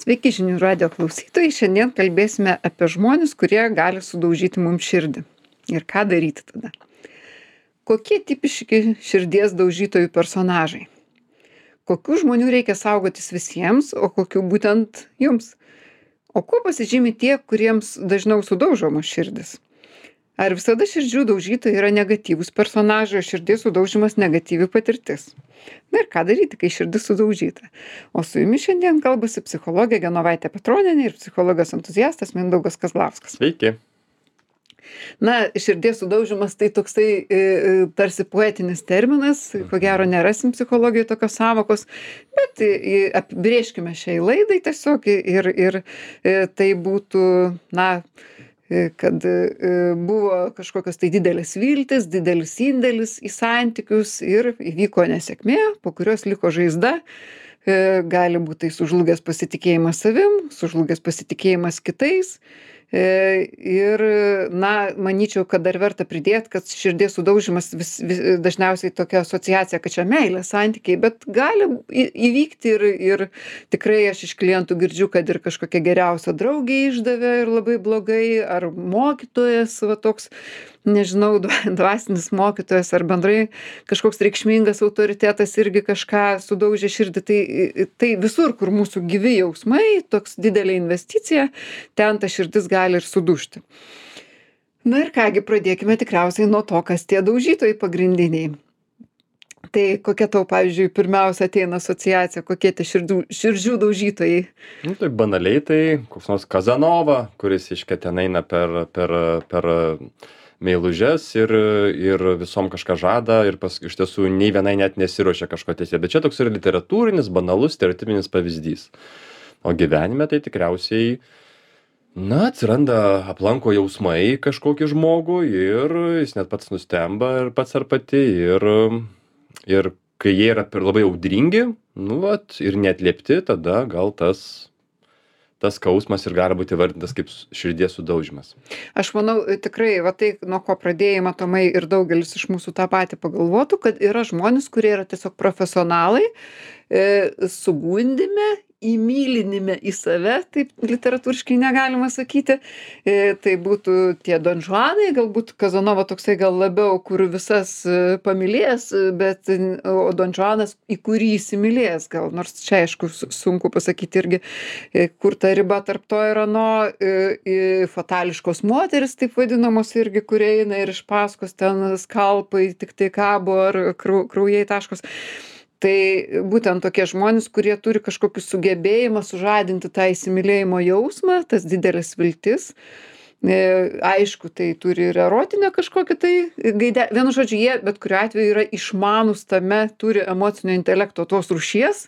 Sveiki žinių radio klausytojai. Šiandien kalbėsime apie žmones, kurie gali sudaužyti mums širdį. Ir ką daryti tada? Kokie tipiški širdies daužytojų personažai? Kokių žmonių reikia saugotis visiems, o kokių būtent jums? O kuo pasižymi tie, kuriems dažniau sudaužomos širdis? Ar visada širdžių daužytojai yra negatyvūs personažai, o širdies sudaužimas negatyvi patirtis? Na ir ką daryti, kai širdis sudaužyta? O su jumis šiandien kalbasi psichologė Genovaitė Petronienė ir psichologijos entuziastas Mindaugas Kazlauskas. Sveiki. Na, širdies sudaužimas tai toksai tarsi poetinis terminas, ko gero nerasim psichologijoje tokios sąvokos, bet apibrėžkime šiai laidai tiesiog ir tai būtų, kad buvo kažkokios tai didelės viltis, didelis indėlis į santykius ir įvyko nesėkmė, po kurios liko žaizda. Gali būti tai sužlugęs pasitikėjimas savim, sužlugęs pasitikėjimas kitais. Ir, manyčiau, kad dar verta pridėti, kad širdies sudaužimas dažniausiai tokia asociacija, kad čia meilė, santykiai, bet gali įvykti ir tikrai aš iš klientų girdžiu, kad ir kažkokia geriausia draugė išdavė ir labai blogai, ar mokytojas, toks, nežinau, dvasinis mokytojas, ar bendrai kažkoks reikšmingas autoritetas irgi kažką sudaužė širdį. Tai visur, kur mūsų gyvi jausmai, toks didelė investicija, ten ta širdis gali ir sudužti. Na ir kągi, pradėkime tikriausiai nuo to, kas tie daužytojai pagrindiniai. Tai kokia tau, pavyzdžiui, pirmiausia ateina asociacija, kokie tie širdžių daužytojai? Tai banaliai tai koks nors Kazanova, kuris ten eina per meilužes ir visom kažką žada ir iš tiesų nei vienai net nesiruošia kažko tiesėti. Bet čia toks yra literatūrinis, banalus, stereotipinis pavyzdys. O gyvenime tai tikriausiai atsiranda, aplanko jausmai kažkokį žmogų ir jis net pats nustemba ir pats ar pati ir kai jie yra labai audringi, ir neatliepti, tada gal tas skausmas ir gali būti įvardintas kaip širdies sudaužimas. Aš manau, tikrai, tai nuo ko pradėjai, matomai, ir daugelis iš mūsų tą patį pagalvotų, kad yra žmonės, kurie yra tiesiog profesionalai, sugundime, įmylinime į save, taip literatūriškai negalima sakyti. Tai būtų tie donžuanai, galbūt Kazanova toksai gal labiau, kur visas pamylės, o donžuanas, į kurį įsimylės gal, nors čia aišku sunku pasakyti irgi, kur ta riba tarp to ir ano, fatališkos moteris, taip vadinamos irgi, kurie eina ir iš paskos ten skalpai tik tai kabo ar kraujai taškos. Tai būtent tokie žmonės, kurie turi kažkokį sugebėjimą sužadinti tą įsimylėjimo jausmą, tas didelis viltis. Aišku, tai turi ir erotinę kažkokią tai gaidę. Vienu žodžiu, jie bet kuriuo atveju yra išmanus tame, turi emocinio intelekto tos rūšies,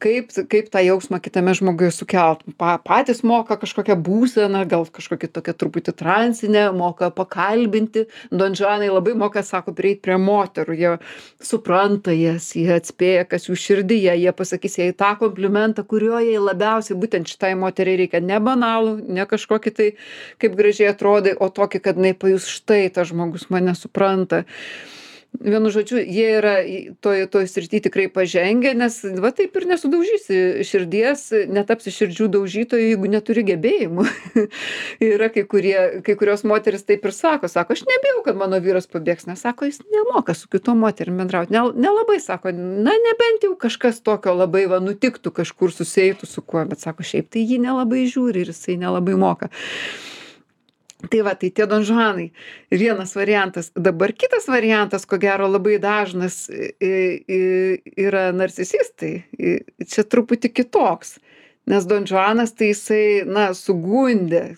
kaip tą jausmą kitame žmoguje sukelt. Patys moka kažkokią būseną, gal kažkokią tokią truputį transinę, moka pakalbinti. Donžuanai labai moka, sako, prieiti prie moterų. Jie supranta jas, jie atspėja, kas jų širdyje, jie pasakys jai tą komplimentą, kurio jai labiausiai būtent šitai moteriai reikia. Ne banalų, ne kažkokį tai, kaip gražiai atrodai, o tokį, kad jinai pajus, štai tas žmogus mane supranta. Vienu žodžiu, jie yra toj srity tikrai pažengę, nes taip ir nesudaužysi širdies, netapsi širdžių daužytojų, jeigu neturi gebėjimų. Yra kai kurios moteris taip ir sako, aš nebijau, kad mano vyras pabėgs, nes sako, jis nemoka su kitom moterim bendrauti. Nelabai sako, nebent jau kažkas tokio labai nutiktų, kažkur suseitų su kuo, bet sako, šiaip tai jį nelabai žiūri ir jisai nelabai moka. Tai tie donžuanai. Vienas variantas. Dabar kitas variantas, ko gero labai dažnas, yra narcisistai. Čia truputį kitoks. Nes donžuanas tai jisai, sugundė,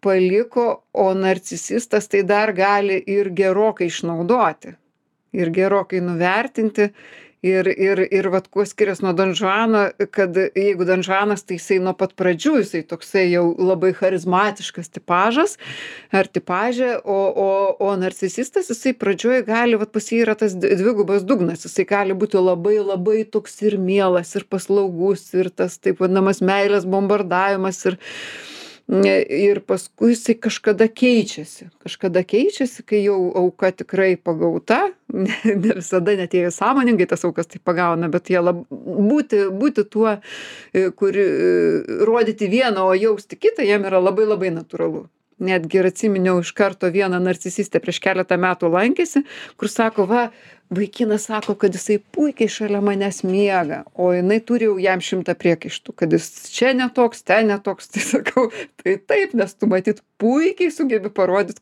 paliko, o narcisistas tai dar gali ir gerokai išnaudoti. Ir gerokai nuvertinti. Ir kuo skiriasi nuo donžuano, kad jeigu donžuanas, tai jisai nuo pat pradžių, jisai toksai jau labai charizmatiškas tipažas ar tipažė, o narcisistas, jisai pradžioj gali, pas jį yra tas dvigubas dugnas, jisai gali būti labai labai toks ir mielas, ir paslaugus, ir tas taip vadinamas meilės bombardavimas, Ir paskui jisai kažkada keičiasi, kai jau auka tikrai pagauta, ne visada net jie sąmoningai tas aukas tai pagauna, bet jie būti tuo, rodyti vieną, o jausti kitą, jiem yra labai labai natūralu. Netgi ir atsiminiau iš karto vieną narcisistę prieš keletą metų lankėsi, kur sako, va, vaikinas sako, kad jisai puikiai šalia manęs miega, o jinai turi jau jam 100 priekaištų, kad jis čia netoks, ten netoks. Tai sakau, tai taip, nes tu matyt puikiai sugebi parodyti,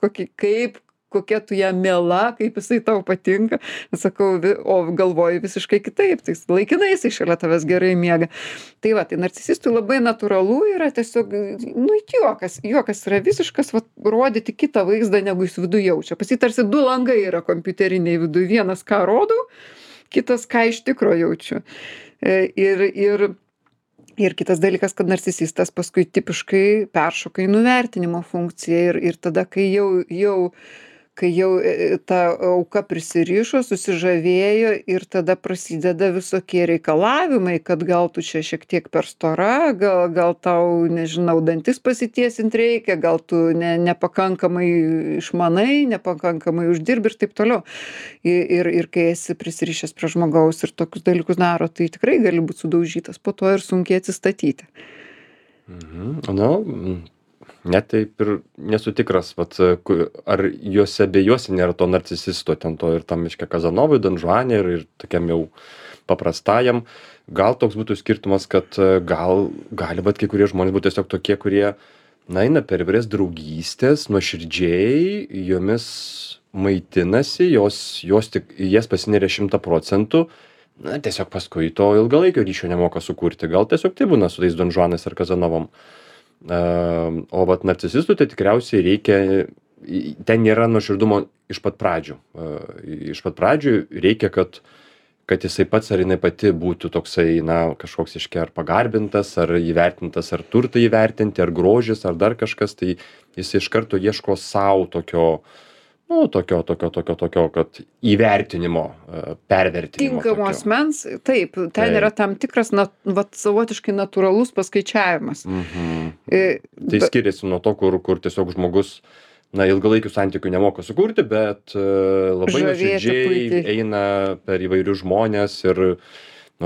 kokia tu ją miela, kaip jisai tau patinka. Sakau, o galvoju visiškai kitaip, tai laikinai jisai šalia tavęs gerai miega. Tai va, tai narcisistui labai natūralu yra tiesiog, juokas yra visiškas, va, rodyti kitą vaizdą, negu jis viduje jaučia. Pas jį tarsi 2 langai yra kompiuteriniai viduje, vienas ką rodau, kitas ką iš tikro jaučiu. Ir kitas dalykas, kad narcisistas paskui tipiškai peršoka į nuvertinimo funkciją ir tada, kai jau ta auka prisirišo, susižavėjo ir tada prasideda visokie reikalavimai, kad gal tu čia šiek tiek per stora, gal tau, nežinau, dantis pasitiesint reikia, gal tu nepakankamai išmanai, nepakankamai uždirbi ir taip toliau. Ir kai esi prisirišęs prie žmogaus ir tokius dalykus daro, tai tikrai gali būti sudaužytas po to ir sunkiai atsistatyti. Net taip ir nesu tikras, vat, ar juose bejuose nėra to narcisisto, ten to ir tam miške Kazanovui, Donžuane ir tokiam jau paprastajam. Gal toks būtų skirtumas, kad gali vat kai kurie žmonės būtų tiesiog tokie, kurie eina per įvairias draugystės, nuoširdžiai jomis maitinasi, jas pasineria 100%, tiesiog paskui to ilgalaikio ryšio nemoka sukurti. Gal tiesiog tai būna su tais Donžuanais ar Kazanovom. O vat narcisistui tai tikriausiai reikia, ten nėra nuoširdumo iš pat pradžių. Iš pat pradžių reikia, kad jisai pats ar jinai pati būtų toksai, kažkoks ar pagarbintas, ar įvertintas, ar turtai įvertinti, ar grožis, ar dar kažkas, tai jisai iš karto ieško savo tokio, kad įvertinimo, pervertinimo. Tinkamo asmens, taip, ten yra tam tikras, savotiškai natūralus paskaičiavimas. Tai skiriasi nuo to, kur tiesiog žmogus, ilgalaikių santykių nemoka sukurti, bet labai nuoširdžiai eina per įvairius žmonės ir,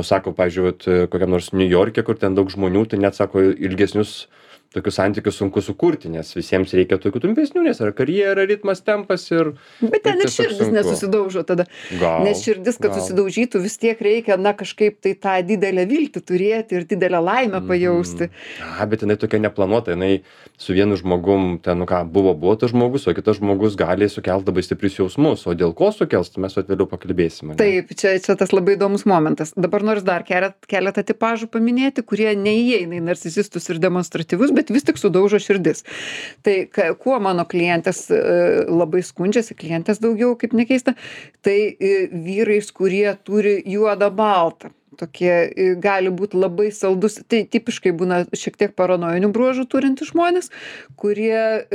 sako, pavyzdžiui, kokiam nors New York'e, kur ten daug žmonių, tai net sako, ilgesnius tokius santykius sunku sukurti, nes visiems reikia tokių trumpesnių, nes yra karjera, ritmas, tempas ir... Bet ten ir širdis nesusidaužo tada. Nes širdis, kad susidaužytų, vis tiek reikia, kažkaip tai tą didelę viltį turėti ir didelę laimę pajausti. Bet jinai tokia neplanuota, jinai su vienu žmogum, ten, buvo tas žmogus, o kitas žmogus gali sukelti labai stiprius jausmus, o dėl ko sukels, tai mes vėliau pakalbėsime. Taip, čia tas labai įdomus momentas. Dabar nors dar keletą tipažų paminėti, kurie neįeina į narcisistus ir demonstratyvus, bet vis tik sudaužo širdis. Tai kuo mano klientės labai skundžiasi, klientės daugiau, kaip nekeista, tai vyrais, kurie turi juodą baltą. Tokie gali būti labai saldus, tai tipiškai būna šiek tiek paranojinių bruožų turintys žmonės, kurie,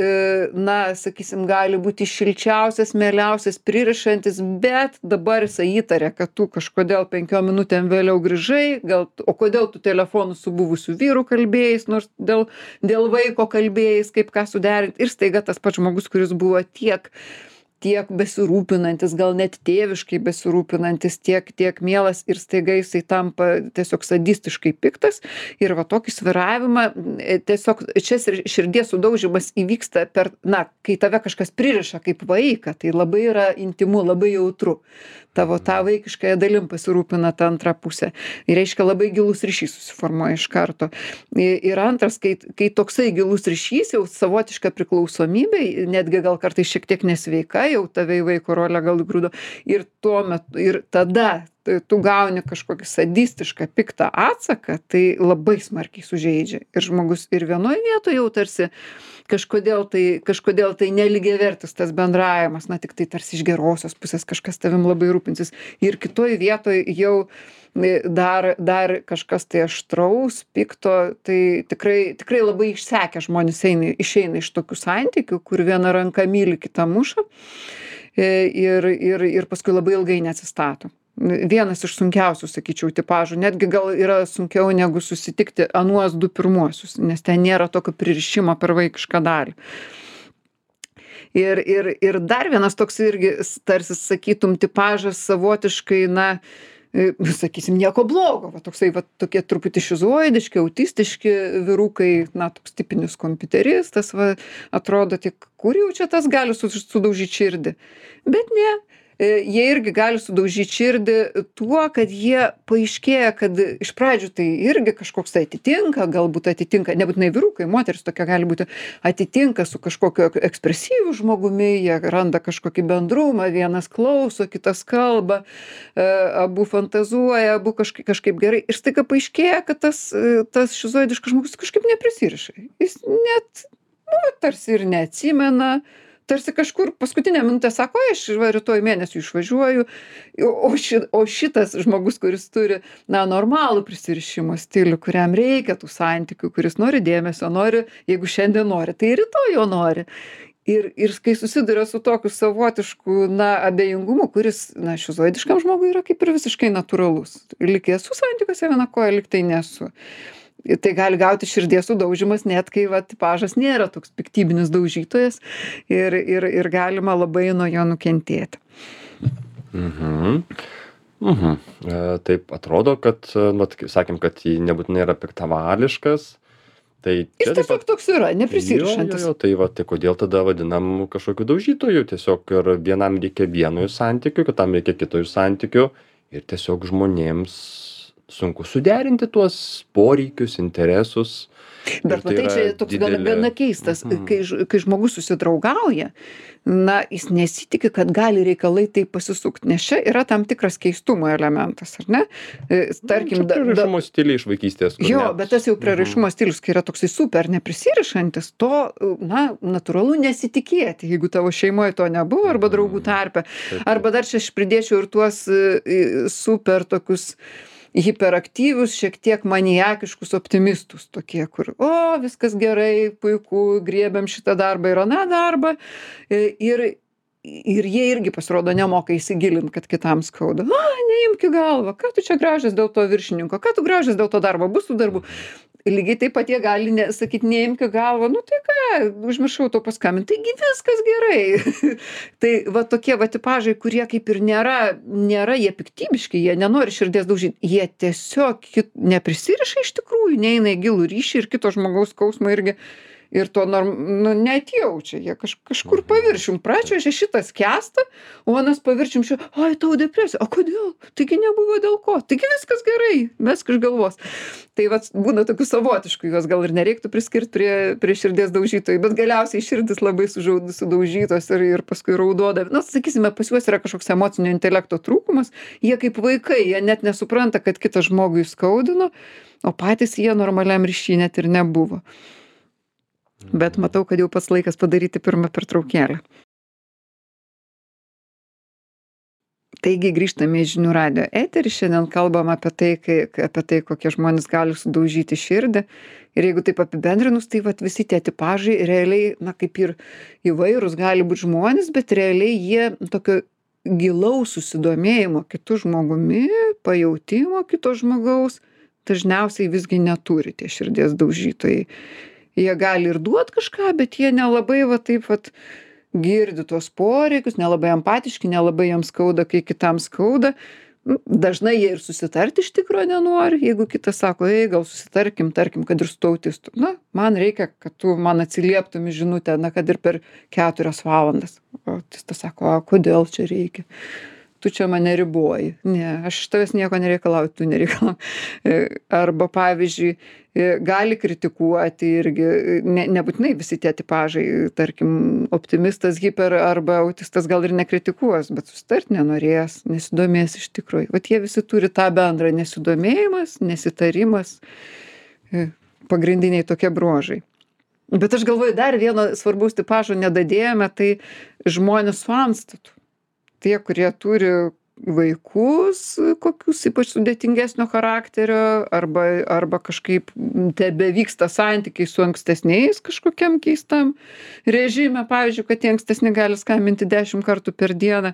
sakysim, gali būti šilčiausias, mieliausias, pririšantis, bet dabar jisai įtarė, kad tu kažkodėl 5 minutėm vėliau grįžai, o kodėl tu telefonu su buvusiu vyru kalbėjais, nors dėl vaiko kalbėjais, kaip ką suderinti. Ir staiga tas pats žmogus, kuris buvo tiek besirūpinantis, gal net tėviškai besirūpinantis, tiek mielas ir staiga jisai tampa tiesiog sadistiškai piktas. Ir va tokį svyravimą, tiesiog čia širdies sudaužimas įvyksta kai tave kažkas pririša kaip vaiką, tai labai yra intymu, labai jautru. Tavo tą vaikiškąją dalim pasirūpina ta antra pusė. Ir reiškia labai gilus ryšys susiformuoja iš karto. Ir antras, kai toksai gilus ryšys, jau savotiška priklausomybė, netgi gal kartais šiek tiek nesveika, jau tave į vaiko rolę gal įgrūdo. Ir tada tu gauni kažkokį sadistišką, piktą atsaką, tai labai smarkiai sužeidžia. Ir žmogus ir vienoje vietoje jau tarsi kažkodėl tai nelygiavertis tas bendravimas, tik tai tarsi iš gerosios pusės kažkas tavim labai rūpinsis. Ir kitoj vietoj jau dar kažkas tai aštraus, pikto, tai tikrai labai išsekę žmonės išeina iš tokių santykių, kur viena ranka myli, kita muša ir paskui labai ilgai neatsistato. vienas iš sunkiausių, sakyčiau, tipažų. Netgi gal yra sunkiau negu susitikti anuos 2 pirmuosius, nes ten nėra tokio pririšimo per vaikišką dalį. Ir dar vienas toks irgi, tarsi sakytum, tipažas savotiškai, na, sakysim, nieko blogo, va toksai, va tokie truputį šizoidiški, autistiški vyrukai, na, toks tipinis kompiuteristas, va, atrodo, tik kur jau čia tas gali sudaužyti širdį. Bet ne, jie irgi gali sudaužyti širdį tuo, kad jie paaiškėja, kad iš pradžių tai irgi kažkoks tai galbūt atitinka, nebūtinai vyrukai, moteris tokia gali būti, atitinka su kažkokiu ekspresyviu žmogumi, jie randa kažkokį bendrumą, vienas klauso, kitas kalba, abu fantazuoja, abu kažkaip gerai. Ir staiga paaiškėja, kad tas šizoidiškas žmogus kažkaip neprisiriša. Jis net, tarsi ir neatsimena, tarsi kažkur paskutinę minutę sako, aš rytoj mėnesių išvažiuoju, o šitas žmogus, kuris turi, na, normalų prisirišimo stilių, kuriam reikia tų santykių, kuris nori dėmesio, nori, jeigu šiandien nori, tai rytoj jo nori. Ir kai susiduria su tokiu savotišku, na, abejingumu, kuris, na, šizoidiškam žmogui yra kaip ir visiškai natūralus. Lyg esu santykiuose viena koja, lyg tai nesu. Tai gali gauti širdies sudaužimas, net kai va, tipažas nėra toks piktybinis daužytojas ir galima labai nuo jo nukentėti. Taip atrodo, kad, nu, sakėm, kad jį nebūtinai yra piktavališkas. Tai jis tiesiog toks yra, neprisirišantis. Jo, tai va, tai kodėl tada vadinam kažkokiu daužytoju? Tiesiog ir vienam reikia vieno iš santykių, kitam reikia kito iš santykių ir tiesiog žmonėms sunku suderinti tuos poreikius, interesus. Bet matai, čia toks gana keistas, kai žmogus susidraugauja, na, jis nesitikė, kad gali reikalai taip pasisukti, nes čia yra tam tikras keistumo elementas, ar ne? Tarkim, prieraišumo stiliai iš vaikystės. Jo, bet tas jau prieraišumo stilius, kai yra toksai super neprisirišantis, to, na, natūralu nesitikėti, jeigu tavo šeimoje to nebuvo, arba draugų tarpe. Arba dar čia aš pridėčiau ir tuos super tokius hiperaktyvius, šiek tiek maniakiškus optimistus, tokie, kur, viskas gerai, puiku, griebiam šitą darbą ir aną darbą. Ir jie irgi pasirodo nemoka įsigilinti, kad kitam skauda. Neimk į galvą, ką tu čia gražias dėl to viršininko, ką tu gražias dėl to darbo, bus tų darbų. Lygiai taip pat jie gali sakyti, neimk į galvą, nu tai ką, užmiršau to paskambinti, taigi viskas gerai. Tai va tokie va tipažai, kurie kaip ir nėra jie piktybiški, jie nenori širdies daužyti, jie tiesiog neprisiriša iš tikrųjų, neina į gilų ryšį ir kito žmogaus skausmą irgi. Ir to net jaučia, jie kažkur paviršium pračiuožia šitas kęsta, o anas paviršium tau depresija, o kodėl? Taigi nebuvo dėl ko, taigi viskas gerai, mesk iš galvos. Tai vat būna tokių savotiškų, juos gal ir nereiktų priskirti prie širdies daužytojų, bet galiausiai širdis labai sudaužytos ir paskui raudoda. Na, sakysime, pas juos yra kažkoks emocinio intelekto trūkumas, jie kaip vaikai, jie net nesupranta, kad kitą žmogų įskaudino, o patys jie normaliam ryšy net ir nebuvo. Bet matau, kad jau pats laikas padaryti pirmą pertraukėlę. Taigi grįžtame į Žinių radijo eterį. Šiandien kalbam apie tai, kokie žmonės gali sudaužyti širdį. Ir jeigu taip apibendrinus, tai vat visi tie tipažai realiai, na, kaip ir įvairūs gali būti žmonės, bet realiai jie tokio gilaus susidomėjimo kitų žmogumi, pajautimo kito žmogaus, dažniausiai visgi neturi tie širdies daužytojai. Jie gali ir duot kažką, bet jie nelabai girdi tuos poreikius, nelabai empatiški, nelabai jiems skauda, kai kitam skauda. Dažnai jie ir susitarti iš tikro nenori, jeigu kitas sako, gal susitarkim, tarkim, kad ir su autistu. Na, man reikia, kad tu man atsilieptum į žinutę, na, kad ir per 4 valandas. O autistas sako, kodėl čia reikia? Tu čia mane riboji. Ne, aš iš tavęs nieko nereikalauju, tu nereikalauji. Arba, pavyzdžiui, gali kritikuoti irgi, nebūtinai visi tie tipažai, tarkim, optimistas, hiper arba autistas gal ir nekritikuos, bet susitart nenorės, nesidomės iš tikrųjų. Vat jie visi turi tą bendrą nesidomėjimas, nesitarimas, pagrindiniai tokie bruožai. Bet aš galvoju, dar vieno svarbaus tipažo nedadėjome, tai žmonės su antstatu. Tie, kurie turi vaikus, kokius ypač sudėtingesnio charakterio, arba kažkaip tebevyksta santykiai su ankstesniais kažkokiam keistam režime, pavyzdžiui, kad tie ankstesni gali skambinti 10 kartų per dieną,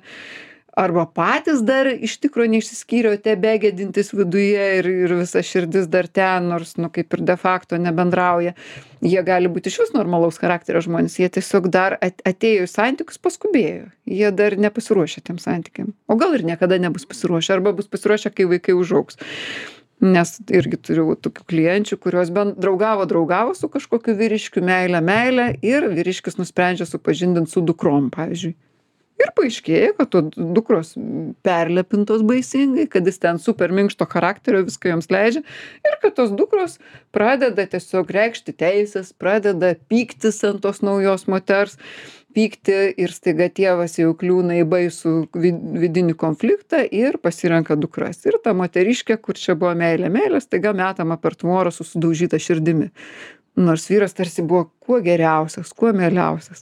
arba patys dar iš tikro neišsiskyrė, o tebegedintys viduje ir visa širdis dar ten, nors, nu, kaip ir de facto nebendrauja. Jie gali būti išvis normalaus charakterio žmonės, jie tiesiog dar atėjo į santykius, paskubėjo. Jie dar nepasiruošę tiem santykiam. O gal ir niekada nebus pasiruošę, arba bus pasiruošę, kai vaikai užaugs. Nes irgi turiu tokių klienčių, kurios draugavo su kažkokiu vyriškiu, meilę, ir vyriškis nusprendžia supažindinti su dukrom, pavyzdžiui. Ir paaiškėja, kad to dukros perlepintos baisingai, kad jis ten super minkšto charakterio, viską joms leidžia, ir kad tos dukros pradeda tiesiog reikšti teisės, pradeda pyktis ant tos naujos moters, pykti, ir staiga tėvas jau kliūna į baisų vidinį konfliktą ir pasirenka dukras. Ir ta moteriškė, kur čia buvo meilė, staiga metama per tvorą su sudaužyta širdimi. Nors vyras tarsi buvo kuo geriausias, kuo mieliausias.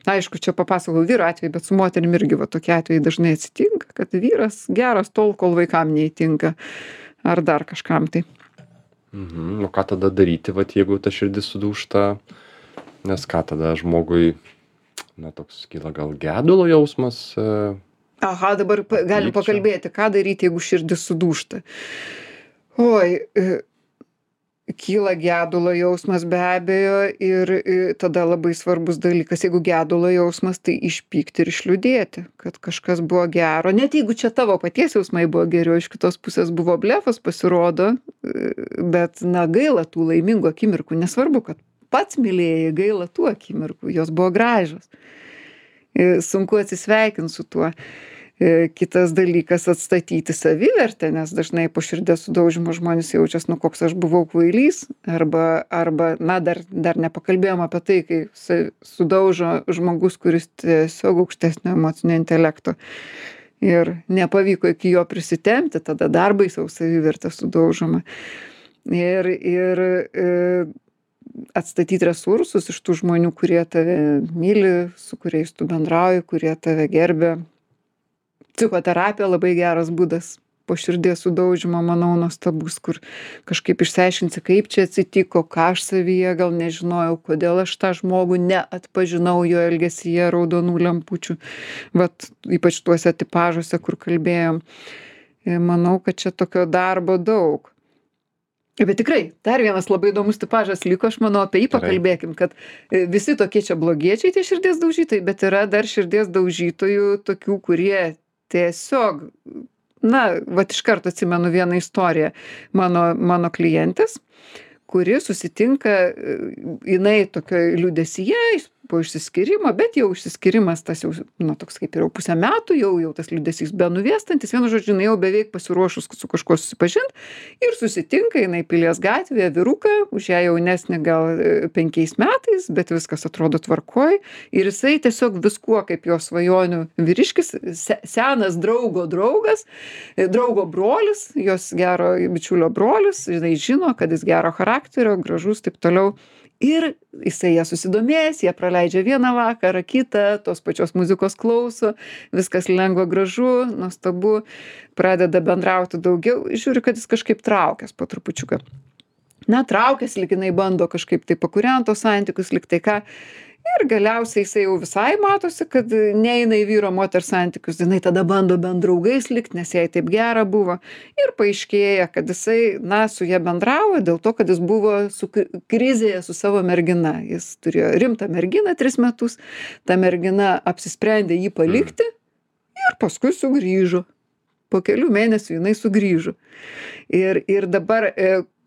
Aišku, čia papasakau vyro atveju, bet su moterim irgi va tokie atvejai dažnai atsitinka, kad vyras geras tol, kol vaikam neįtinka, ar dar kažkam tai. O ką tada daryti, vat, jeigu ta širdis sudūžta, nes ką tada žmogui, na, toks kyla gal gedulo jausmas. Aha, dabar galim pakalbėti, ką daryti, jeigu širdis sudūžta. Oi, kyla gedulo jausmas be abejo, ir tada labai svarbus dalykas, jeigu gedulo jausmas, tai išpykti ir išliūdėti, kad kažkas buvo gero. Net jeigu čia tavo paties jausmai buvo geriau, iš kitos pusės buvo blefas, pasirodo, bet, na, gaila tų laimingų akimirkų, nesvarbu, kad pats mylėjai, gaila tų akimirkų, jos buvo gražios. Sunku atsisveikinti su tuo. Kitas dalykas — atstatyti savivertę, nes dažnai po širdies sudaužymo žmonės jaučiasi, nu, koks aš buvau kvailys, arba na, dar nepakalbėjom apie tai, kai sudaužo žmogus, kuris tiesiog aukštesnio emocinio intelekto ir nepavyko iki jo prisitempti, tada dar baisiau savivertė sudaužoma. Ir atstatyti resursus iš tų žmonių, kurie tave myli, su kuriais tu bendrauji, kurie tave gerbia. Psichoterapija labai geras būdas po širdies sudaužymo, manau, nuostabus, kur kažkaip išsiaiškinsi, kaip čia atsitiko, ką aš savyje gal nežinojau, kodėl aš tą žmogų neatpažinau jo elgesyje raudonų lempučių. Vat ypač tuose tipažuose, kur kalbėjom. Manau, kad čia tokio darbo daug. Bet tikrai, dar vienas labai įdomus tipažas liko, aš manau, apie jį pakalbėkim, kad visi tokie čia blogiečiai, tie širdies daužytojai, bet yra dar širdies daužytojų tokių, kurie tiesiog, na, vat iš karto atsimenu vieną istoriją mano klientės, kuri susitinka, jinai tokioj liūdesyje po išsiskyrimo, bet jau išsiskyrimas tas jau, nu, toks kaip ir jau pusę metų, jau tas liūdesys benuvėstantis, vienu žodžiu, jinai jau beveik pasiruošus su kažkuo susipažint, ir susitinka jinai Pilies gatvėje vyruką, už ją jaunesnį gal 5 metais, bet viskas atrodo tvarkoj, ir jisai tiesiog viskuo, kaip jo svajonių vyriškis, senas draugo draugas, draugo brolis, jos gero bičiulio brolis, jinai žino, kad jis gero charakterio, gražus, taip toliau. Ir jisai ją susidomės, jie praleidžia vieną vakarą, kitą, tos pačios muzikos klauso, viskas lengva, gražu, nuostabu, pradeda bendrauti daugiau, žiūri, kad jis kažkaip traukias po trupučiuką. Na, traukias, lyg jinai bando kažkaip tai pakūrenti tos santykius, lyg tai ką. Ir galiausiai jisai jau visai matosi, kad neina į vyro moters santykius, jinai tada bando bent draugais likt, nes jai taip gera buvo. Ir paaiškėja, kad jisai, na, su ja bendravo dėl to, kad jis buvo krizėje su savo mergina. Jis turėjo rimtą merginą 3 metus, ta mergina apsisprendė jį palikti ir paskui sugrįžo. Po kelių mėnesių jinai sugrįžo. Ir dabar,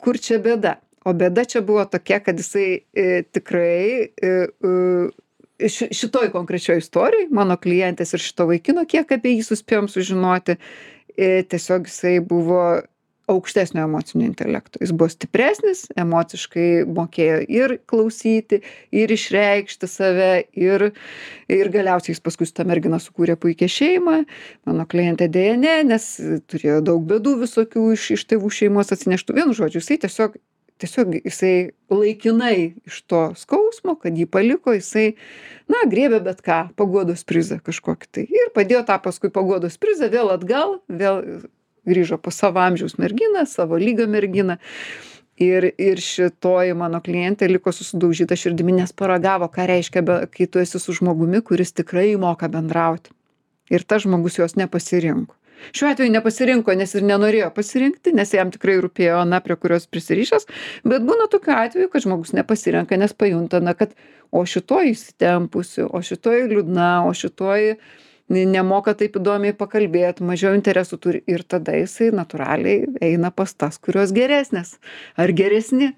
kur čia bėda? O bėda čia buvo tokia, kad jisai tikrai šitoj konkrečioj istorijoj, mano klientės ir šito vaikino, kiek apie jį suspėjom sužinoti, tiesiog jisai buvo aukštesnio emocinio intelekto. Jis buvo stipresnis, emociškai mokėjo ir klausyti, ir išreikšti save, ir galiausiai jis paskui su ta mergina sukūrė puikią šeimą. Mano klientė dėja ne, nes turėjo daug bėdų visokių iš tėvų šeimos atsineštų. Vienu žodžiu, jisai tiesiog jisai laikinai iš to skausmo, kad jį paliko, jisai, na, griebė bet ką, paguodos prizą kažkokį tai. Ir padėjo tą paskui paguodos prizą vėl atgal, vėl grįžo po savo amžiaus merginą, savo lygio merginą. Ir šitoji mano klientė liko susidaužyta širdimi, nes paragavo, ką reiškia, kai tu esi su žmogumi, kuris tikrai moka bendrauti. ir tas žmogus jos nepasirinko. Šiuo atveju nepasirinko, nes ir nenorėjo pasirinkti, nes jam tikrai rūpėjo Ana, prie kurios prisirišęs, bet būna tokiu atveju, kad žmogus nepasirenka, nes pajunta, na, kad o šitoji įsitempusi, o šitoji liūdna, o šitoji nemoka taip įdomiai pakalbėti, mažiau interesų turi ir tada jisai natūraliai eina pas tas, kurios geresnės ar geresni.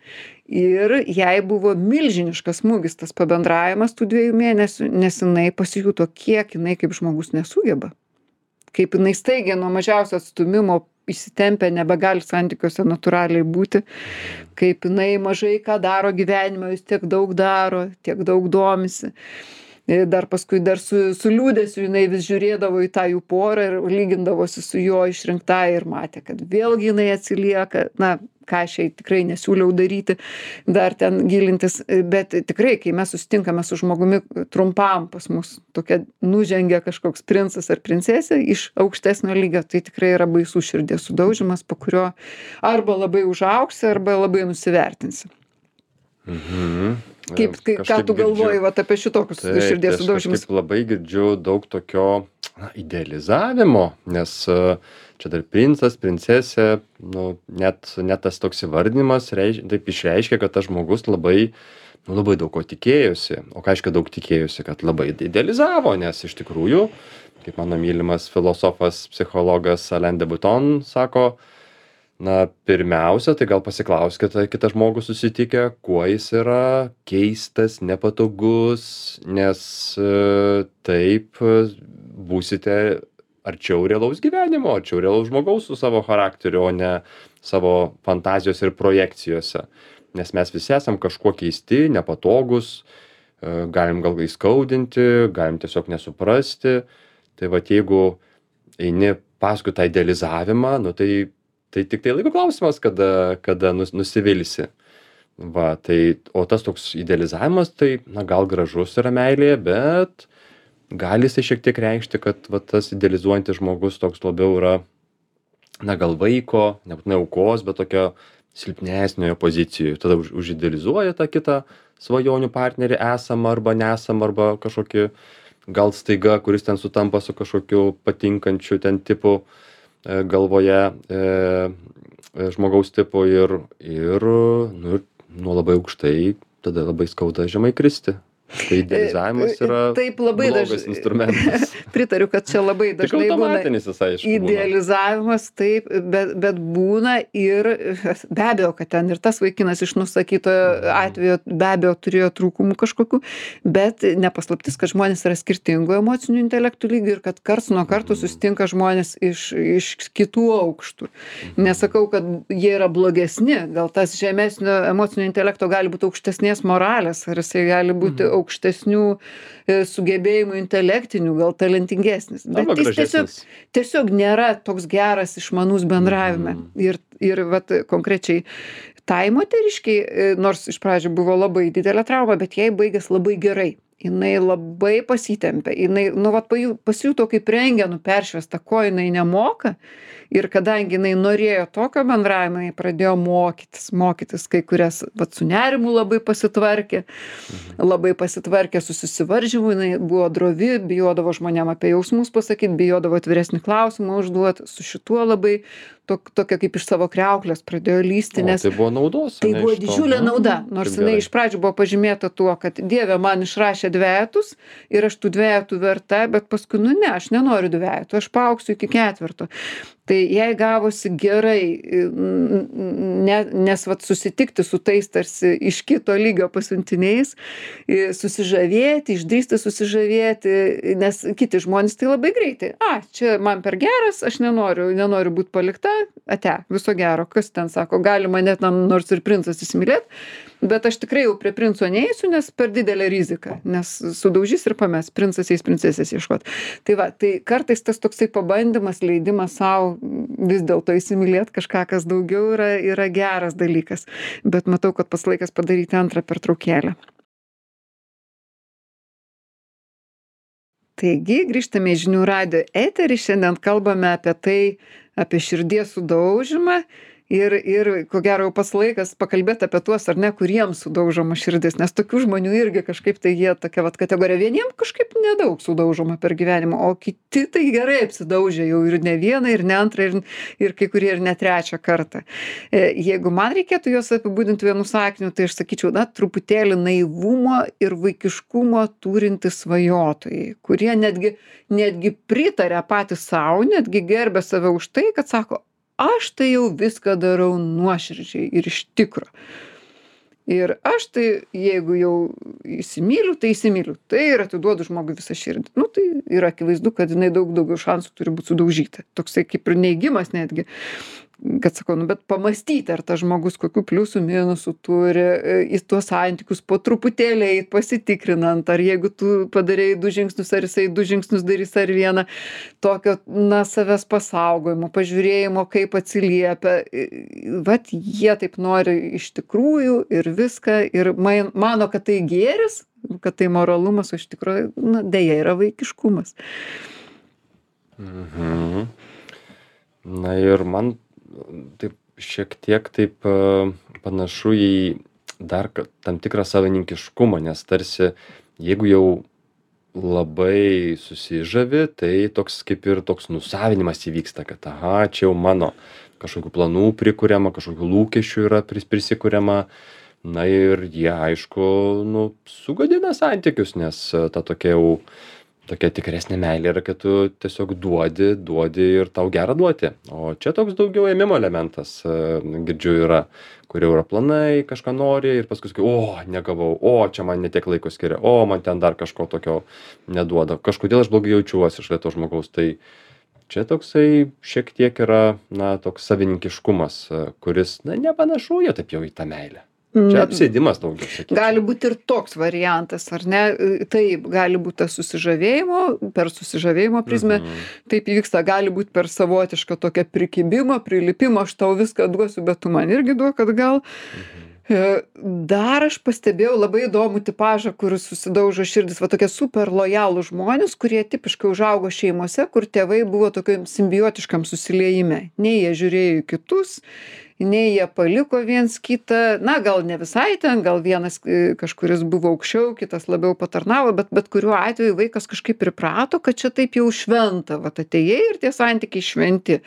Ir jai buvo milžiniškas smūgis tas pabendravimas tų 2 mėnesių, nes jinai pasijuto, kiek jinai kaip žmogus nesugeba. Kaip jinai staigiai nuo mažiausio atstūmimo įsitempia, nebegali santykiuose natūraliai būti, kaip jinai mažai ką daro gyvenime, jis tiek daug daro, tiek daug domisi. Dar paskui dar su liūdesiu jinai vis žiūrėdavo į tą jų porą ir lygindavosi su jo išrinkta ir matė, kad vėlgi jinai atsilieka, na, ką aš jai tikrai nesiūliau daryti, dar ten gilintis, bet tikrai, kai mes susitinkame su žmogumi trumpam pas mus, tokia nužengia kažkoks princas ar princesė iš aukštesnio lygio, tai tikrai yra baisus širdies sudaužimas, po kurio arba labai užaugsi, arba labai nusivertinsi. Ką tu galvoji vat, apie šitokius širdies sudaužimus? Aš labai girdžiu daug tokio idealizavimo, nes čia dar princas, princesė, nu, net tas toks įvardinimas taip išreiškia, kad tas žmogus labai daug ko tikėjosi. O ką reiškia daug tikėjosi, kad labai idealizavo, nes iš tikrųjų, kaip mano mylimas filosofas, psichologas Alain de Botton sako, na, pirmiausia, tai gal pasiklauskite kitą žmogų susitikę, kuo jis yra keistas, nepatogus, nes taip būsite arčiau realaus gyvenimo, arčiau realaus žmogaus su savo charakteriu, o ne savo fantazijos ir projekcijose. Nes mes visi esam kažkuo keisti, nepatogus, galim gal įskaudinti, galim tiesiog nesuprasti. Tai vat jeigu eini paskui tą idealizavimą, nu tai tik tai laiko klausimas, kada nusivilsi. Va, tai, o tas toks idealizavimas, tai, na, gal gražus yra meilėje, bet gali jisai šiek tiek reikšti, kad va, tas idealizuojantis žmogus toks labiau yra, na, gal vaiko, nebūtinai aukos, bet tokio silpnesniojo pozicijoje. Tada užidealizuoja tą kitą svajonių partnerį esamą arba nesamą, arba kažkokį gal staiga, kuris ten sutampa su kažkokiu patinkančiu ten tipu galvoje žmogaus tipo ir nu, nuo labai aukštai tada labai skauda žemai kristi. Tai idealizavimas yra blogas instrumentas. Pritariu, kad čia labai dažnai būna idealizavimas, taip, bet būna ir be abejo, kad ten ir tas vaikinas iš nusakyto atvejo be abejo turėjo trūkumų kažkokių, bet nepaslaptis, kad žmonės yra skirtingų emocinių intelektų lygių ir kad karts nuo karto susitinka žmonės iš kitų aukštų. Nesakau, kad jie yra blogesni, gal tas žemesnio emocinio intelekto gali būti aukštesnės moralės, ar jisai gali būti aukštesnių sugebėjimų intelektinių, gal talentingesnis. Bet jis tiesiog nėra toks geras išmanus bendravime. Ir vat, konkrečiai tai moteriškiai, nors iš pradžių buvo labai didelė trauma, bet jai baigės labai gerai. Jinai labai pasitempė. Jinai, nu, vat, pasijuto kaip rentgenu peršviesta, ko jinai nemoka. Ir kadangi jinai norėjo tokio bendravimo, jinai pradėjo mokytis kai kurias, vat, su nerimu labai pasitvarkė su susivaržymu, jinai buvo drovi, bijodavo žmonėm apie jausmus pasakyti, bijodavo atviresnį klausimą užduoti, su šituo labai tokia kaip iš savo kriauklės pradėjo lysti, nes tai buvo naudos. Tai buvo didžiulė nauda, nors jinai iš pradžių buvo pažymėta tuo, kad Dieve man išrašė dvejetus ir aš tų dvejetų verta, bet paskui, nu ne, aš nenoriu dvejetų, aš paaugsiu iki 4. Tai jai gavosi gerai, nes vat, susitikti su tais tarsi iš kito lygio pasiuntiniais, susižavėti, išdrįsti susižavėti, nes kiti žmonės tai labai greitai. Čia man per geras, aš nenoriu būti palikta, viso gero, kas ten sako, gali mane ten nors ir princas įsimylėti, bet aš tikrai jau prie princo neįsiu, nes per didelė rizika, nes sudaužys ir pames, princas eis princesės ieškot. Tai va, tai kartais tas toksai pabandymas, leidimas savo vis dėlto įsimylėti kažką, kas daugiau yra geras dalykas. Bet matau, kad pats laikas padaryti antrą pertraukėlę. Taigi, grįžtame į Žinių radijo eterį, šiandien kalbame apie tai, apie širdies sudaužymą Ir ko gero jau pats laikas pakalbėt apie tuos, ar ne, kuriems sudaužoma širdis, nes tokių žmonių irgi kažkaip tai jie tokia vat kategorija. Vieniem kažkaip nedaug sudaužoma per gyvenimą, o kiti tai gerai apsidaužė jau ir ne vieną, ir ne antrą, ir kai kurie ir ne trečią kartą. Jeigu man reikėtų juos apibūdinti vienu sakiniu, tai aš sakyčiau, na, truputėlį naivumo ir vaikiškumo turintys svajotojai, kurie netgi pritarė patys savo, netgi gerbė save už tai, kad sako, aš tai jau viską darau nuoširdžiai ir iš tikro. Ir aš tai, jeigu jau įsimyliu, tai įsimyliu. Tai ir atiduodu žmogui visą širdį. Nu, tai yra akivaizdu, kad jinai daug daugiau šansų turi būti sudaužyta. Toksai kaip ir neigimas netgi. Kad sakau, nu, bet pamastyti, ar tas žmogus kokių pliusų, minusų turi, į tuos santykius po truputėlį eit pasitikrinant, ar jeigu tu padarėjai 2 žingsnius, ar jisai 2 žingsnius darys, ar vieną, tokio, na, savęs pasaugojimo, pažiūrėjimo, kaip atsiliepia. Vat jie taip nori iš tikrųjų ir viską, ir mano, kad tai gėris, kad tai moralumas, o iš tikrųjų, na, deja, yra vaikiškumas. Mhm. Na ir man taip šiek tiek taip panašu į dar tam tikrą savininkiškumą, nes tarsi jeigu jau labai susižavi, tai toks kaip ir toks nusavinimas įvyksta, kad aha, čia jau mano kažkokių planų prikuriama, kažkokių lūkesčių yra prisikuriama. Na ir jie, aišku, nu, sugadina santykius, nes ta tokia jau tokia tikresnė meilė yra, kad tu tiesiog duodi ir tau gera duoti. O čia toks daugiau ėmimo elementas, girdžiu, yra, kur jau yra planai, kažką nori ir paskui sakai, o, negavau, o, čia man netiek laiko skiria, o, man ten dar kažko tokio neduoda. Kažkodėl aš blogai jaučiuosi šalia to žmogaus. Tai čia toksai šiek tiek yra, na, toks savininkiškumas, kuris, na, nepanašu jo taip jau į tą meilę. Čia apsėdimas daugiau, sakyčiau. Gali būti ir toks variantas, ar ne? Taip, gali būti tas per susižavėjimo prizmę, taip įvyksta, gali būti per savotišką tokią prikibimą, prilipimą, aš tau viską duosiu, bet tu man irgi duok atgal. Dar aš pastebėjau labai įdomų tipažą, kur susidaužo širdis, va tokie super lojalūs žmonės, kurie tipiškai užaugo šeimose, kur tėvai buvo tokiam simbiotiškam susiliejime. Nei jie žiūrėjo į kitus, nei jie paliko viens kitą, na gal ne visai ten, gal vienas kažkuris buvo aukščiau, kitas labiau patarnavo, bet kuriuo atveju vaikas kažkaip priprato, kad čia taip jau šventa, va atėjai ir tie santykiai šventi.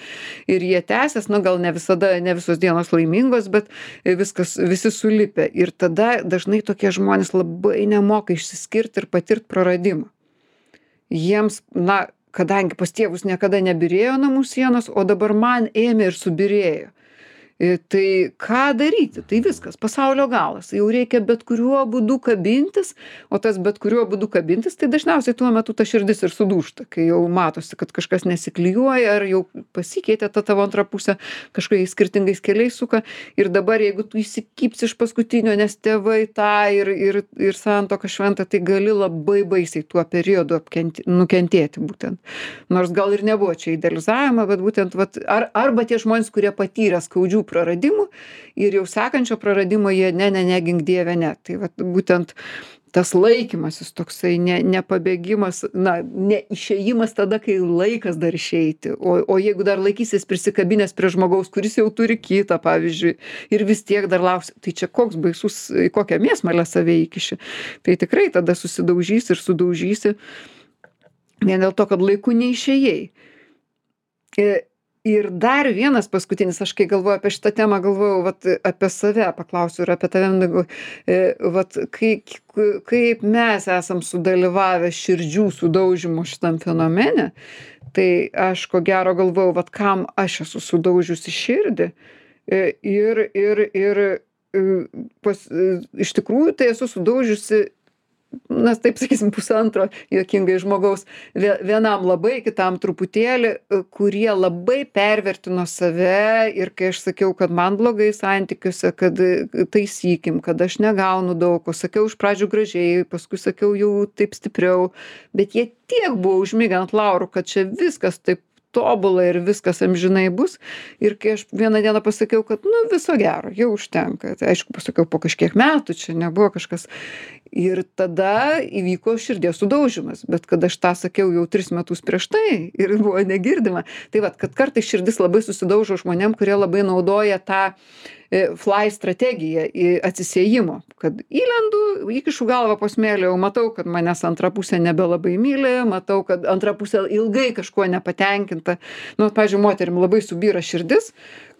Ir jie tęsės, na gal ne visada, ne visos dienos laimingos, bet visi sulipę. Ir tada dažnai tokie žmonės labai nemoka išsiskirti ir patirti praradimą. Jiems, na, kadangi pas tėvus niekada nebyrėjo namų sienos, o dabar man ėmė ir subyrėjo. Tai ką daryti? Tai viskas, pasaulio galas. Jau reikia bet kuriuo būdu kabintis, o tas bet kuriuo būdu kabintis, tai dažniausiai tuo metu ta širdis ir sudūžta, kai jau matosi, kad kažkas nesiklijuoja, ar jau pasikeitė ta tavo antra pusė, kažkokiais skirtingais keliais suka. Ir dabar, jeigu tu įsikibsi iš paskutinio, nes tėvai tą ir santuoka šventa, tai gali labai baisiai tuo periodu nukentėti būtent. Nors gal ir nebuvo čia idealizavimo, bet būtent, arba tie žmonės, kurie patyrė skaudžių praradimų ir jau sekančio praradimo jie negink dieve, ne. Tai vat būtent tas laikymasis toksai, nepabėgimas, na, neišėjimas tada, kai laikas dar išeiti. O jeigu dar laikysis prisikabinęs prie žmogaus, kuris jau turi kitą, pavyzdžiui, ir vis tiek dar lauks, tai čia koks baisus, kokią mėsmalę save įkiši. Tai tikrai tada susidaužysi ir sudaužysi vien dėl to, kad laiku neišėjai. Ir dar vienas paskutinis, aš kai galvoju apie šitą temą, galvoju apie save, paklausiu ir apie tave, kaip mes esam sudalyvavę širdžių sudaužimo šitam fenomene, tai aš ko gero galvoju, kam aš esu sudaužiusi širdį ir iš tikrųjų tai esu sudaužiusi, na, taip sakysim, pusantro juokingai žmogaus, vienam labai, kitam truputėlį, kurie labai pervertino save ir kai aš sakiau, kad man blogai santykiuose, kad taisykim, kad aš negaunu daug, o sakiau iš pradžių gražiai, paskui sakiau jau taip stipriau, bet jie tiek buvo užmigę ant laurų, kad čia viskas taip tobula ir viskas amžinai bus. Ir kai aš vieną dieną pasakiau, kad, nu, viso gero, jau užtenka. Tai aišku, pasakiau po kažkiek metų, čia nebuvo kažkas. Ir tada įvyko širdies sudaužymas. Bet kad aš tą sakiau jau 3 metus prieš tai ir buvo negirdima. Tai vat, kad kartais širdis labai susidaužo žmonėm, kurie labai naudoja tą fly strategiją atsisiejimo. Kad įlendu, įkišu galvą po smėlį, jau matau, kad manęs antra pusė nebelabai myli, matau, kad antra pusė ilgai kažkuo nepatenkinta. Nu, pavyzdžiui, moterim labai subyra širdis,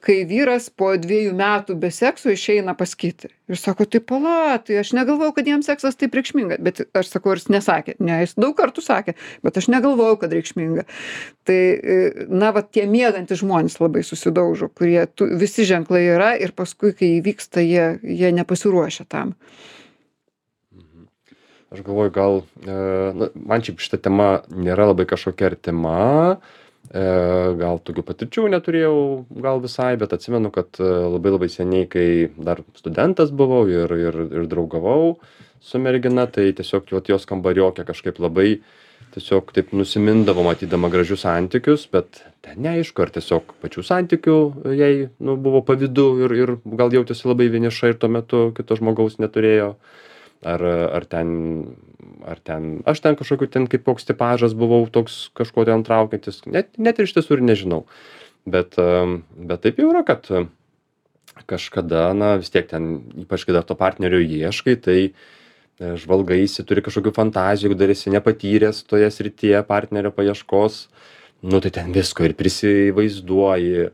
kai vyras po 2 metų be sekso išeina pas kitą. Ir sako, tai pala, tai aš negalvojau, kad jam seksas taip reikšminga. Bet aš sakau, ir jis nesakė. Ne, jis daug kartų sakė, bet aš negalvojau, kad reikšminga. Tai, na, va, tie miegantys žmonės labai susidaužo, kurie visi ženklai yra ir paskui, kai įvyksta, jie nepasiruošia tam. Aš galvoju, gal, man šiaip šita tema nėra labai kažkokia artima, gal tokių patirčių neturėjau, gal visai, bet atsimenu, kad labai labai seniai, kai dar studentas buvau ir draugavau su mergina, tai tiesiog jos kambariokė kažkaip labai tiesiog taip nusimindavo matydama gražius santykius, bet ten neaišku, ar tiesiog pačių santykių jai buvo pavydu ir gal jautėsi labai vieniša ir tuo metu kito žmogaus neturėjo. Ar ten aš ten kažkokiu ten kaip koks tipažas buvau toks kažko ten traukiantis, net ir iš tiesų ir nežinau. Bet taip jau yra, kad kažkada, na vis tiek ten, ypač kai dar to partnerio ieškai, tai žvalgaisi, turi kažkokių fantazijų, jeigu dar esi nepatyręs toje srityje partnerio paieškos, nu tai ten visko ir prisivaizduoji.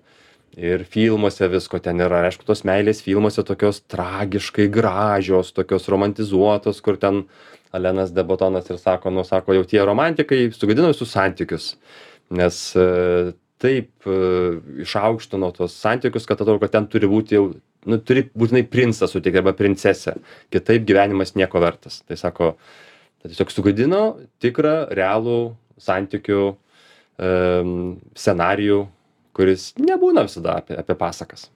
Ir filmuose visko ten yra. Aišku, tos meilės filmuose tokios tragiškai gražios, tokios romantizuotos, kur ten Alenas de Bottonas ir sako, jau tie romantikai sugadino visus santykius. Nes taip išaukštino tos santykius, kad atrodo, kad ten turi būti jau, turi būtinai princą suteikti arba princesę. Kitaip gyvenimas nieko vertas. Tai sako, tai tiesiog sugadino tikrą, realų santykių scenarijų, kuris nebūna visada apie pasakas.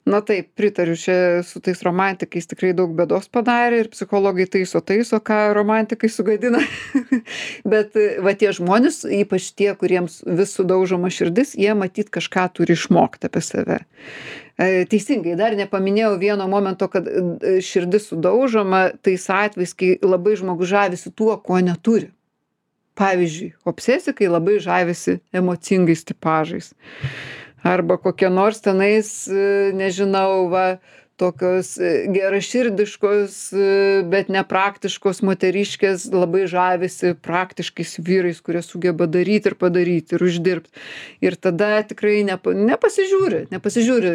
Na taip, pritariu, čia su tais romantikais tikrai daug bėdos padarė ir psichologai taiso, ką romantikai sugadina. Bet va tie žmonės, ypač tie, kuriems vis sudaužoma širdis, jie matyt kažką turi išmokti apie save. Teisingai, dar nepaminėjau vieno momento, kad širdis sudaužoma tais atvejais, kai labai žmogus žavisi tuo, ko neturi. Pavyzdžiui, obsesikai labai žavisi emocingais tipažais. Arba kokie nors tenais, nežinau, tokios geraširdiškos, bet nepraktiškos moteriškės labai žavisi praktiškais vyrais, kurie sugeba daryti ir padaryti ir uždirbti. Ir tada tikrai nepasižiūri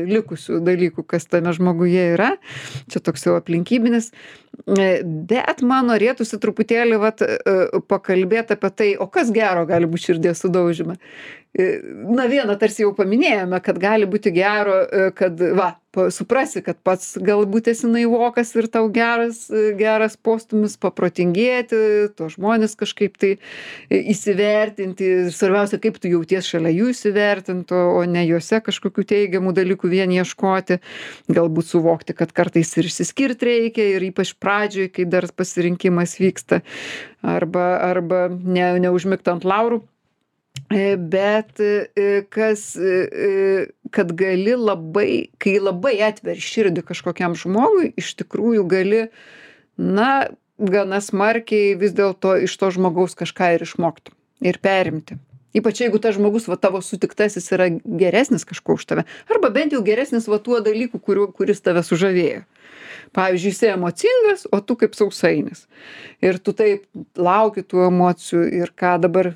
likusių dalykų, kas tame žmoguje yra. Čia toks jau aplinkybinis. Bet man norėtųsi truputėlį pakalbėti apie tai, o kas gero gali būti širdies sudaužyme. Na, vieną tarsi jau paminėjome, kad gali būti gero, kad suprasi, kad pats galbūt esi naivokas ir tau geras postumis paprotingėti, to žmonės kažkaip tai įsivertinti. Svarbiausia, kaip tu jauties šalia jų įsivertinti, o ne juose kažkokių teigiamų dalykų vien ieškoti. Galbūt suvokti, kad kartais ir išsiskirti reikia ir ypač pradžioj, kai dar pasirinkimas vyksta, arba neužmigti ant laurų. Bet kad gali kai labai atveri širdį kažkokiam žmogui, iš tikrųjų gali, gana smarkiai vis dėlto iš to žmogaus kažką ir išmokti ir perimti. Ypač jeigu tas žmogus, tavo sutiktasis yra geresnis kažko už tave, arba bent jau geresnis tuo dalyku, kuris tave sužavėjo. Pavyzdžiui, jis emocingas, o tu kaip sausainis. Ir tu taip lauki tų emocijų ir ką dabar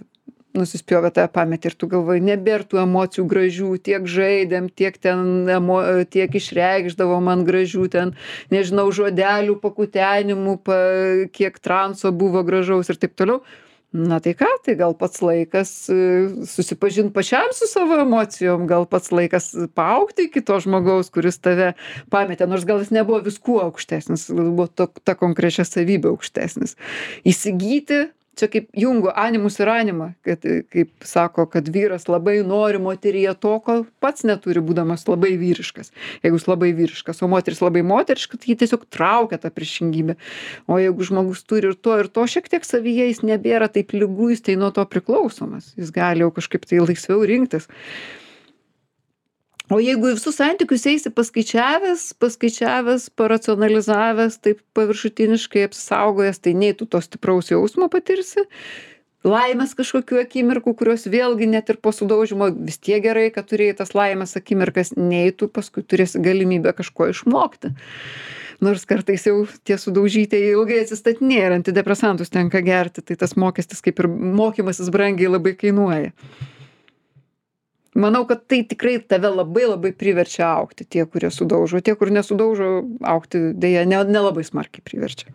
nusispjovė tave pametį ir tu galvoji, nebėr tų emocijų gražių, tiek žaidėm, tiek išreikšdavo man gražių ten, nežinau, žodelių, pakutenimų, kiek transo buvo gražaus ir taip toliau. Na tai ką, tai gal pats laikas susipažinti pačiam su savo emocijom, gal pats laikas paaugti iki to žmogaus, kuris tave pametė, nors gal jis nebuvo viskuo aukštesnis, gal buvo ta konkrečia savybė aukštesnis. Įsigyti, čia kaip Jungo animus ir anima, kad, kaip sako, kad vyras labai nori moteryje to, ko pats neturi, būdamas labai vyriškas. Jeigu jis labai vyriškas, o moteris labai moteriška, tai jį tiesiog traukia tą priešingybę. O jeigu žmogus turi ir to šiek tiek savyje, jis nebėra taip lygus, tai nuo to priklausomas. Jis gali jau kažkaip tai laisviau rinktis. O jeigu į visus santykius eisi paskaičiavęs, paracionalizavęs, taip paviršutiniškai apsisaugojęs, tai nei tu to stipraus jausmo patirsi, laimės kažkokių akimirkų, kurios vėlgi net ir po sudaužymo vis tiek gerai, kad turėjai tas laimės akimirkas, nei tu paskui turėsi galimybę kažko išmokti. Nors kartais jau tie sudaužytieji ilgai atsistatinėja ir antidepresantus tenka gerti, tai tas mokestis kaip ir mokymasis brangiai labai kainuoja. Manau, kad tai tikrai tave labai labai priverčia augti, tie, kurie sudaužo. Tie, kur nesudaužo, augti dėja nelabai smarkiai priverčia.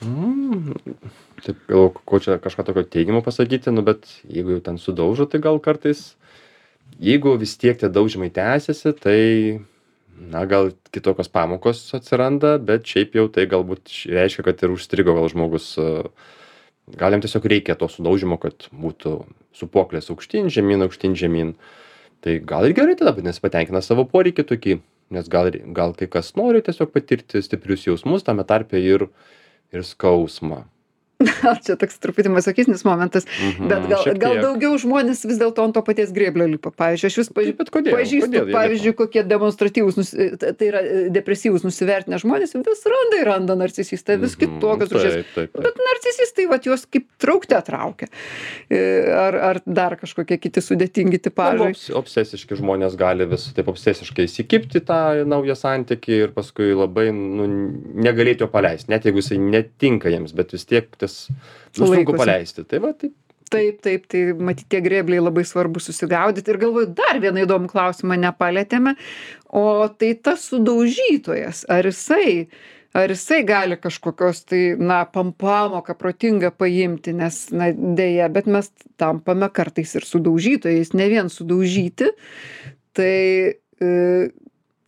Taip, gal ko čia kažką tokio teigiamo pasakyti, nu bet jeigu jau ten sudaužo, tai gal kartais, jeigu vis tiek tie daužymai tęsiasi, tai, na, gal kitokios pamokos atsiranda, bet šiaip jau tai galbūt reiškia, kad ir užstrigo gal žmogus, gal jam tiesiog reikia to sudaužymo, kad būtų supuoklės aukštyn, žemyn. Tai gal ir gerai tada, nes patenkina savo poreikį tokį, nes gal kai kas nori tiesiog patirti stiprius jausmus, tame tarpe ir skausmą. Čia toks truputį masochistinis momentas, bet gal daugiau žmonės vis dėlto ant to paties grėblio lipa. Pavyzdžiui, aš vis pažįstu, pavyzdžiui, kokie demonstratyvūs, tai yra depresyvūs nusivertinę žmonės, vis randa narcisistą, vis kitokios rūšies. Bet narcisistai, vat, juos kaip traukte traukia. Ar dar kažkokie kiti sudėtingi tipažai. Obsesiški žmonės gali vis taip obsesiškai įsikibti tą naują santykį ir paskui labai negalėti jo paleisti, net jeigu jisai netinka jiems, bet vis tiek sunku paleisti. Tai va, taip. Taip, tai matyt, tie grėbliai labai svarbu susigaudyti. Ir galvoju, dar vieną įdomų klausimą nepalėtėme, o tai tas sudaužytojas, ar jisai gali kažkokios tai, na, pamoką protingą paimti, nes, na, dėja, bet mes tampame kartais ir sudaužytojais, ne vien sudaužyti. Tai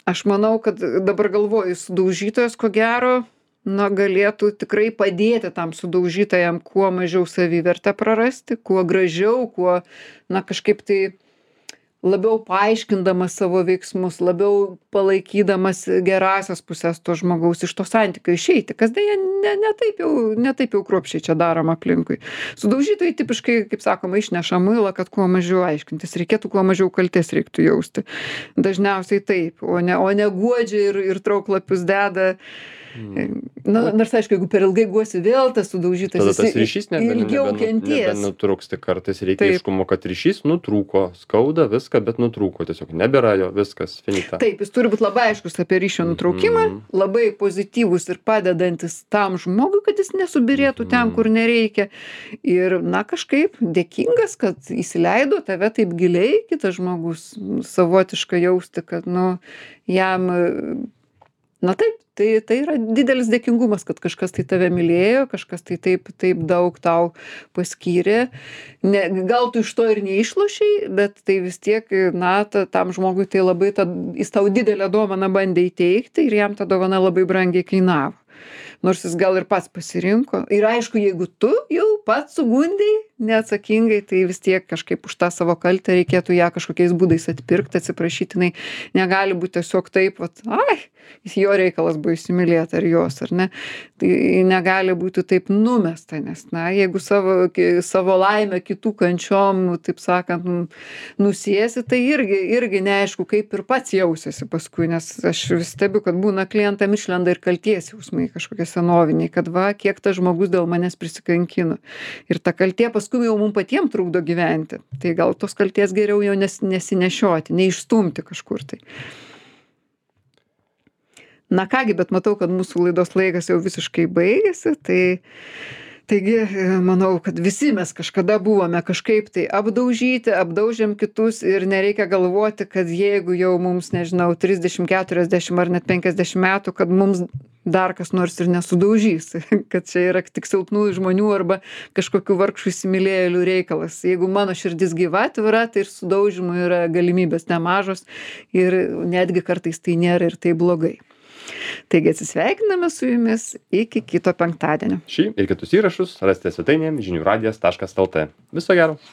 aš manau, kad dabar galvoju, sudaužytojas, ko gero, na, galėtų tikrai padėti tam sudaužytajam kuo mažiau savivertę prarasti, kuo gražiau, kuo, na, kažkaip tai labiau paaiškindamas savo veiksmus, labiau palaikydamas gerąsias pusės to žmogaus iš to santykio išeiti, kas dėja ne taip jau kruopščiai čia daroma aplinkui. Sudaužytojai tipiškai, kaip sakoma, išneša muilą, kad kuo mažiau aiškintis, reikėtų kuo mažiau kaltės reiktų jausti. Dažniausiai taip, o ne guodžia ir trauklapius deda. Na, nors aišku, jeigu per ilgai guosi vėl tas sudaužytas, tada tas ryšys ilgiau kenties. Nebenutrūks, tik kartais reikia aiškumo, kad ryšys nutrūko, skauda viską, bet nutrūko, tiesiog nebėra jo, viskas, finita. Taip, jis turi būti labai aiškus apie ryšio nutraukimą, labai pozityvus ir padedantis tam žmogui, kad jis nesubirėtų ten, kur nereikia. Ir, na, kažkaip dėkingas, kad įsileido tave taip giliai, kitas žmogus savotiškai jausti, kad, nu, jam, na taip, tai yra didelis dėkingumas, kad kažkas tai tave mylėjo, kažkas tai taip daug tau paskyrė. Gal tu iš to ir neišlošiai, bet tai vis tiek, na, tam žmogui tai labai, jis tau didelę dovaną bandė įteikti ir jam ta dovana labai brangiai kainavo. Nors jis gal ir pats pasirinko. Ir aišku, jeigu tu jau pats sugundei neatsakingai, tai vis tiek kažkaip už tą savo kaltę reikėtų ją kažkokiais būdais atpirkti, atsiprašytinai. Negali būti tiesiog taip, vat, jo reikalas buvo įsimylėti ar jos, ar ne. Tai negali būti taip numesta, nes, na, jeigu savo laimę kitų kančiom, taip sakant, nusiesi, tai irgi neaišku, kaip ir pats jausiasi paskui, nes aš vis stebiu, kad būna klientam išlenda ir kalties jausmai kažkokie senoviniai, kad va, kiek tas žmogus dėl manęs prisikankino. Ir ta kaltė paskui jau mums patiems trukdo gyventi. Tai gal tos kalties geriau jau nesinešioti, neišstumti kažkur tai. Na kągi, bet matau, kad mūsų laidos laikas jau visiškai baigėsi, taigi manau, kad visi mes kažkada buvome kažkaip tai apdaužyti, apdaužėm kitus ir nereikia galvoti, kad jeigu jau mums, nežinau, 30, 40 ar net 50 metų, kad mums dar kas nors ir nesudaužys, kad čia yra tik silpnųjų žmonių arba kažkokių vargšų įsimylėjėlių reikalas. Jeigu mano širdis gyva, atvira, tai ir sudaužymų yra galimybės nemažos ir netgi kartais tai nėra ir tai blogai. Taigi atsisveikiname su jumis iki kito penktadienio. Šį ir kitus įrašus rasite svetainėje žiniųradijas.lt. Viso gero.